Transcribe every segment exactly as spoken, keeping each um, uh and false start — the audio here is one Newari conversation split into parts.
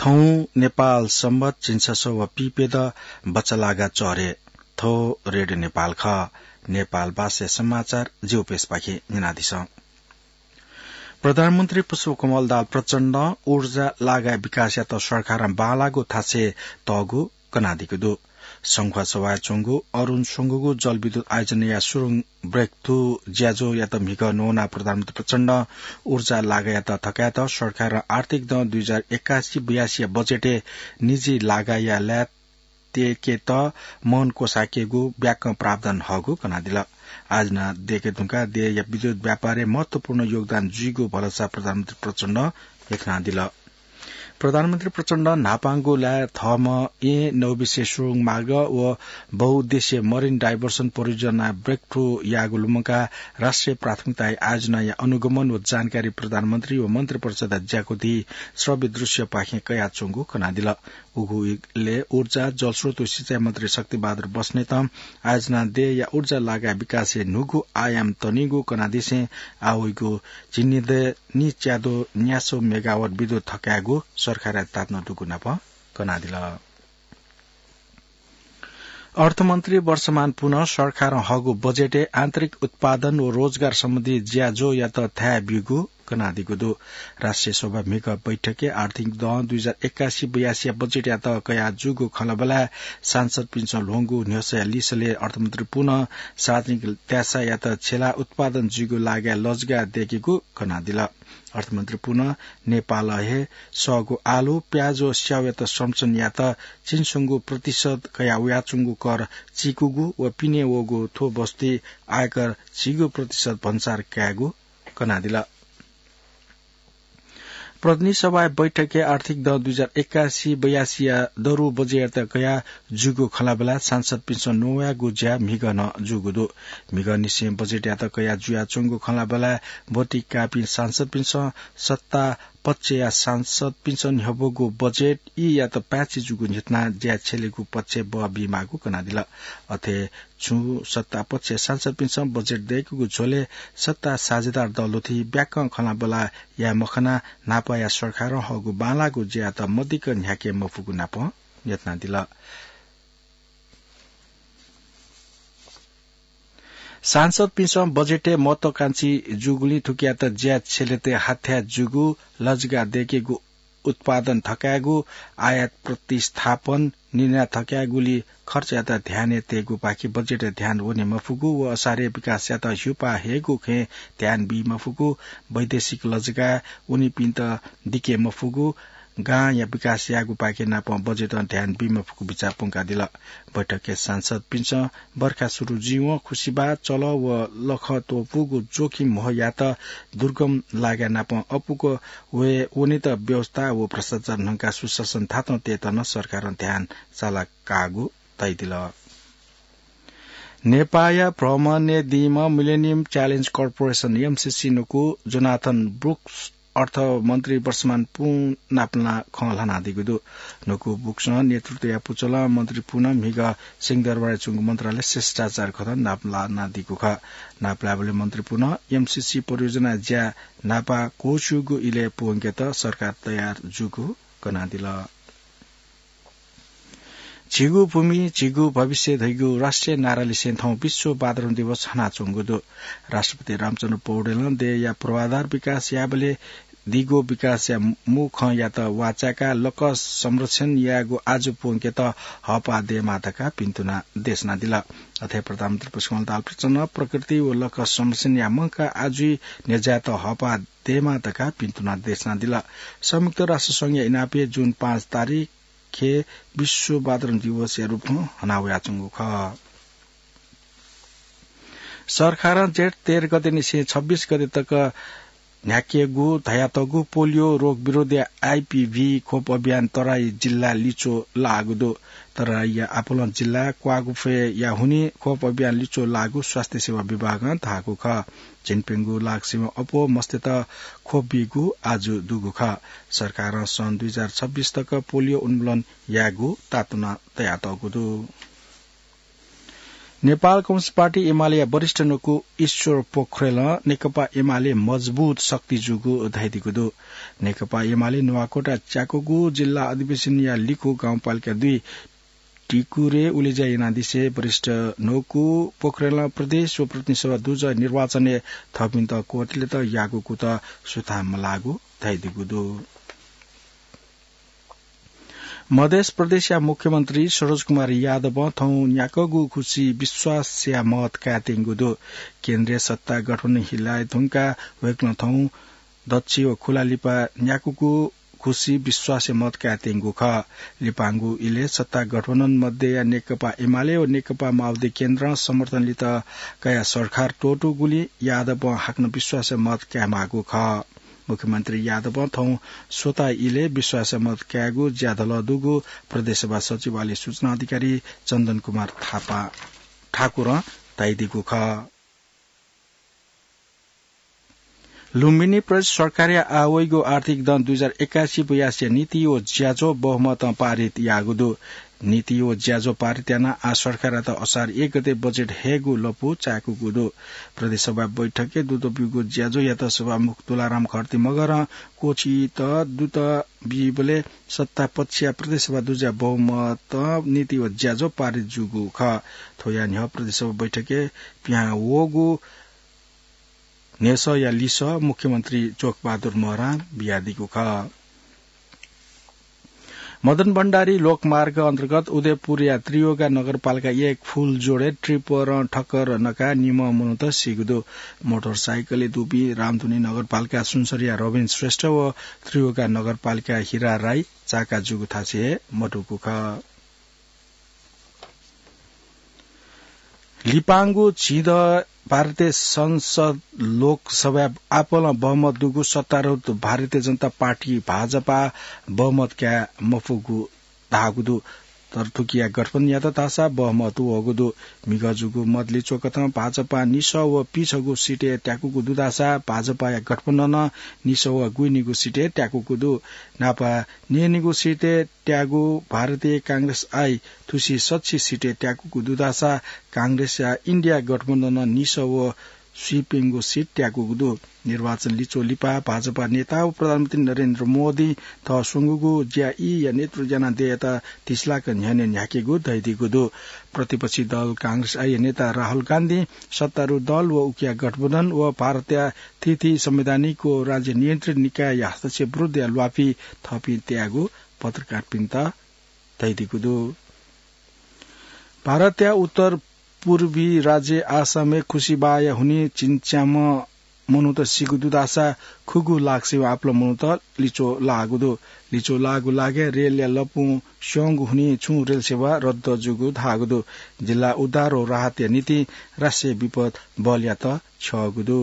हौं नेपाल संवत झिंछसः व पिपेद बचलागा चरे। थ्व रेडियो नेपाल खः। नेपाल भाषा समाचार जिउपेसपाखे न्यनादिसँ। प्रधानमन्त्री पुष्पकमल दाहाल प्रचण्डं ऊर्जा लागा विकासयात सरकारं बांलाःगु थासय् तःगु कनादीगु दु। संखुवासभाय् च्वंगु अरुण स्वंगूगु जलविद्युत आयोजनाया सुरुङ ब्रेकथ्रु ज्याझ्वःयात म्हिगः न्वनाः प्रधानमन्त्री प्रचण्डं ऊर्जा लागायात थकायेत सरकारं आर्थिक दँ दुई हजार एकासी बयासीया बजेटय् निजी लागाया ल्याः तयेकेत मनको साकेगु ब्याकं प्रावधान हःगु कनादिल। आयोजना दयेके धुंकाः देय्‌या विद्युत व्यापारय् महत्वपूर्ण योगदान जुइगु भलसा प्रधानमन्त्री प्रचण्डं न्ह्यथनादिल। प्रधानमन्त्री प्रचण्डं न्हापांगु ल्याः थःम्हं येँ नौबिसे सुरुङ मार्ग व बहुउद्देश्य मरिन डाइभर्सन परियोजना ब्रेकथ्रु याःगु लुमंकाः राष्ट्रिय प्राथमिकताया आयोजनाया अनुगमन व जानकारी प्रधानमन्त्री व मन्त्रिपरिषदया ज्याकुथि श्रव्य दृश्यपाखें कयाच्वंगु कनादिल। उगु इलय् ऊर्जा, जलस्रोत व सिँचाइ मन्त्री शक्तिबहादुर बस्नेतं आयोजना देय्‌या ऊर्जा लागा विकासय् न्हूगु आयाम तनीगु कनादिसें आः वइगु झिंनिदँय् निच्याद्वः न्यासः मेगावाट विद्युत थकायेगु सरकारया ताःतुना दुगु नापं कनादिल। अर्थमन्त्री वर्षमान पुनं सरकारं हःगु बजेटय् आन्तरिक उत्पादन व रोजगार सम्बन्धी ज्याझ्वःयात थाय् ब्यूगु कनादीगु दु। राष्ट्रिय सभा म्हिगः बैठकय् आर्थिक दँ दुई हजार एकासी बयासीया बजेटयात कयाः जूगु खँल्हाबल्हाय् सांसदपिन्सं ल्ह्वंगु न्ह्यसःया लिसलय् अर्थमन्त्री पुनं सार्वजनिक त्यासायात छेला उत्पादन जुइगु लागाय् लजगाः दयेकेगु कनादिल। अर्थमन्त्री पुनं नेपालं हे सःगु आलु, प्याज व स्याउयात संरक्षण यायेत झिंस्वंगू प्रतिशत कयाः वयाच्वंगु कर चीकूगु व पिने वःगु थ्व वस्तुति आयकर झिगू प्रतिशत भन्सार कायेगु कनादिल। प्रतिनिधि सभाया बैठकय् आर्थिक दँ दुई हजार एकासी बयासीया दरु बजेटयात कयाः जूगु खँल्हाबल्हाय् सांसदपिन्सं न्ववायेगु ज्या म्हिगः नं जूगु दु। म्हिगःनिसें बजेटयात कयाः जुयाच्वंगु खँल्हाबल्हाय् भोटिकाःपिं सांसदपिन्सं सत्ता पक्षया सांसदपिन्सं न्ह्यब्वःगु बजेट ईयात पाय्छि जूगु न्ह्यथनाः ज्या छ्यलेगु पक्षय् बः बीमाःगु कनादिल। अथे छुं सत्ता पक्षया सांसदपिन्सं बजेट दयेकेगु झ्वलय् सत्ता साझेदार दलथि ब्याकं खँल्हाबल्हा याये मखनाः न्हापाया सरकारं हःगु बांलाःगु ज्यायात मदिक्क न्ह्याके मफुगु नापं न्ह्यथनादिल। सांसदपिन्सं बजेटय् महत्वाकांक्षी जूगुलिं थुकियात ज्या छ्यलेत हाथ्याः जूगु लजगाः दयेकेगु उत्पादन थकायेगु, आयात प्रतिस्थापन निर्यात थकायेगुली खर्चयात ध्यानय् तयेगुपाखे बजेटय् ध्यान वने मफुगु व असारया विकासयात ह्युपाः हयेगु खँय् ध्यान बी मफुगु, वैदेशिक लजगाः वनीपिन्त दिके मफुगु, गांया विकास यायेगुपाखे नापं बजेटं ध्यान बी मफुगु बिचाः प्वंकादिल। बैठकय् सांसदपिन्सं बर्खा सुरु जुइवं खुसिबाः, चलः व लखं त्वपुगु जोखिम म्हयात दुर्गम लागाय् नापं अपुक वये वनेत व्यवस्था व भ्रष्टाचार न्हंकाः सुशासन थातं तयेत नं सरकारं ध्यान साला काःगु धयादिल। नेपाःया भ्रमणय् दीम्ह Millennium Challenge Corporation, एमसीसी, नुगु जोनाथन ब्रुक्स अर्थमन्त्री वर्षमान पुं नापलानाः खँ ल्हानादीगु दु। नुगु ब्रुक्सं नेतृत्व याये पुचलं मन्त्री पुनं म्हिगः सिंहदरबारय् च्वंगु मन्त्रालय शिष्टाचार कथं नापलानादीगु खः। नापलायेबलय् मन्त्री पुनं एमसीसी परियोजना ज्या न्हापा क्वःछ्यूगु इलय् प्वंकेत सरकार तयार जूगु कनादिल। झीगु भूमि, झीगु भविष्य धइगु राष्ट्रिय नारालिसें थौं विश्व वातावरण दिवस हनाच्वंगु दु। राष्ट्रपति रामचन्द्र पौडेलं देय्‌या पूर्वाधार विकास यायेबलय् दीगु विकासया मू खँयात वाःचाय्‌काः लकः संरक्षण यायेगु आजु प्वंकेत हःपाः दयेमाः धकाः भिन्तुना देछानादिल। अथे प्रधानमन्त्री पुष्पकमल दाहाल प्रचण्डं प्रकृति व लकः संरक्षण याये मंकाः आजुइ न्ह्यज्यायेत हःपाः दयेमाः धकाः भिन्तुना देछानादिल। संयुक्त राष्ट्र संघया इनापय् जुन पाँच तारिख हे विश्व वातावरण दिवसया रूपं हनावयाच्वंगु खः। सरकारं जेठ तेह्र गतेनिसें छब्बीस गते तक न्ह्याकेगु धयातःगु पोलियो रोग विरोधी, आइपिभी, खोप अभियान तराई जिल्ला लिच्वः लाःगु दु। तराईया आपालं जिल्ला क्वागुफय्‌या हुनिं खोप अभियान लिच्वः लाःगु स्वास्थ्य सेवा विभागं धाःगु खः। झिंप्यंगू लाख सिबें अप्वः मस्तय्‌त खोप बीगु आजु दुगु खः। सरकारं सन् दुई हजार छब्बीस तक पोलियो उन्मूलन यायेगु ताःतुना तयातःगु दु। नेपाल कम्युनिस्ट पार्टी एमालेया वरिष्ठ नकु ईश्वर पोखरेलं नेकपा एमाले मजबुत शक्ति जूगु धयादीगु दु। नेकपा एमाले नुवाकोटा च्याकूगु जिल्ला अधिवेशनया लिखु गाउँपालिका दुई टिकुरे उलेज्या यानादिसे वरिष्ठ नकु पोखरेलं प्रदेश व प्रतिनिधि सभा दुजः निर्वाचनय् थःपिन्त क्वतलेत याःगु कुतः सुथां मलाःगु धयादीगु दु। मधेस प्रदेशया मुख्यमन्त्री सरोज कुमार यादवं थौं न्याकःगु खुसी विश्वासया मत कायेत्यंगु दु। केन्द्रीय सत्ता गठबन्धन हिलाये धुंकाः वय्कलं थौं दच्छि व खुला लिपा न्याकूगु खुसी विश्वासया मत कायेत्यंगु खः। लिपांगु इलय् सत्ता गठबन्धन मध्यया नेकपा एमाले व नेकपा माओवादी केन्द्रं समर्थन लित कयाः सरकार त्वःतूगुलिं यादवं हाकनं विश्वासया मत कायेमाःगु खः। मुख्यमन्त्री यादवं थौं स्वता इलय् विश्वासया मत कायेगु ज्याधलः दुगु प्रदेश सभा सचिवालय सूचना अधिकारी चन्दन कुमार थापा, ठाकुरं धयादीगु खः। लुम्बिनी प्रदेश सरकारया आः वइगु आर्थिक दँ दुई हजार एकासी बयासीया नीति व ज्याझ्वः बहुमतं पारित याःगु दु। नीति व ज्याझ्वः पारित यानाः आः सरकारयात असार एक गते बजेट हयेगु लँपु चाय्कूगु दु। प्रदेश सभा बैठकय् दुत ब्यूगु ज्याझ्वःयात सभामुख तुलाराम खड्ती मगरं क्वःछित दुत बीबलय् सत्तापक्षया प्रदेश सभा दुजः बहुमतं नीति व ज्याझ्वः पारित जूगु खः। थ्वया न्ह्यः प्रदेश सभा बैठकय् पिहां वःगु न्ह्यसःया लिसः मुख्यमन्त्री जोकबहादुर महरां बियादीगु खः। मदन भण्डारी लोकमार्ग अन्तर्गत उदयपुरया त्रियुगा नगरपालिका एक फूलजोडय् ट्रिपरं ठक्कर नकाः निम्ह मनूत सीगु दु। मोटरसाइकलय् दुपिं रामधुनी नगरपालिका सुनसरीया रविन श्रेष्ठ व त्रियुगा नगरपालिका हिरा राई चाका जूगु थासय् हे मदुगु खः। लिपांगु झिंदँ भारतीय संसद लोकसभाय् आपालं बहुमत दुगु सत्तारूढ भारतीय जनता पार्टी भाजपा बहुमत काये मफुगु धाःगु दु। तर थुकिया गठबन्धनयात धाःसा बहुमत वःगु दु। म्हिगः जूगु मत लिच्वकथं भाजपां निसः व पिछगू सिटय् त्याकूगु दु धाःसा भाजपाया गठबन्धनं निसः व गुइनिगू सिटय् त्याकूगु दु। न्हापा न्यय्निगू सिटय् त्याःगु भारतीय कांग्रेस आइ थुसी सछि सिटय् त्याकूगु दु धाःसा कांग्रेसया इन्डिया गठबन्धनं निसः व स्वीप्यंगू सिट त्याकूगु दु। निर्वाचन लिच्वः लिपा भाजपा नेता व प्रधानमन्त्री नरेन्द्र मोदीं थः स्वंगूगु ज्या ईया नेतृत्व यानादीत तिस लाख न्ह्यःने न्ह्याकेगु धयादीगु दु। प्रतिपक्षी दल कांग्रेस आइया नेता राहुल गान्धीं सत्तारूढ दल व उकिया गठबन्धन व भारतया थीथी संवैधानिक व राज्य नियन्त्रित निकायया हस्तक्षेप विरुद्धया ल्वापि थःपिं तयागु पत्रकारपिन्त धयादीगु दु। भारतया उत्तर पूर्वी राज्य आसामय् खुसिबाःया हुनिं झिंच्याम्ह मनूत सीगु दु धाःसा खुगू लाख सिबें आपालं मनूत लिच्वः लाःगु दु। लिच्वः लाःगु लागाय् रेलया लँपुं स्यंगु हुनिं छुं रेल सेवा रद्द जूगु धाःगु दु। जिल्ला उद्धार व राहतया निंतिं राष्ट्रिय विपद बलयात छ्यःगु दु।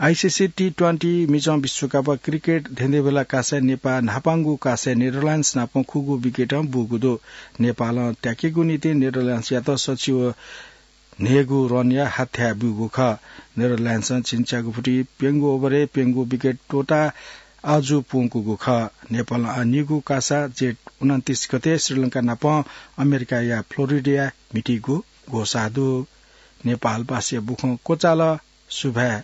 आइसिसी टी ट्वेन्टी मिजं विश्वकप क्रिकेट धेंधेंबेला कासाय् नेपाः न्हापांगु कासाय् नेदरल्याण्ड्स नाप खुगू विकेटं बूगु दु। नेपालं त्याकेगु निंतिं नेदरल्याण्ड्सयात सछि व न्हय्गू रनया हाथ्याः ब्यूगु खः। नेदरल्याण्ड्सं झिंच्यागू फुति प्यंगू ओभरय् प्यंगू विकेट त्वःताः आजु प्वंकूगु खः। नेपालं आः निगू कासा जेठ उनन्तिस गते श्रीलंका नाप अमेरिकाया फ्लोरिडाय् म्हितीगु ग्वसाः दु। नेपालवासीया बुखँ क्वचाल। सुभाय्।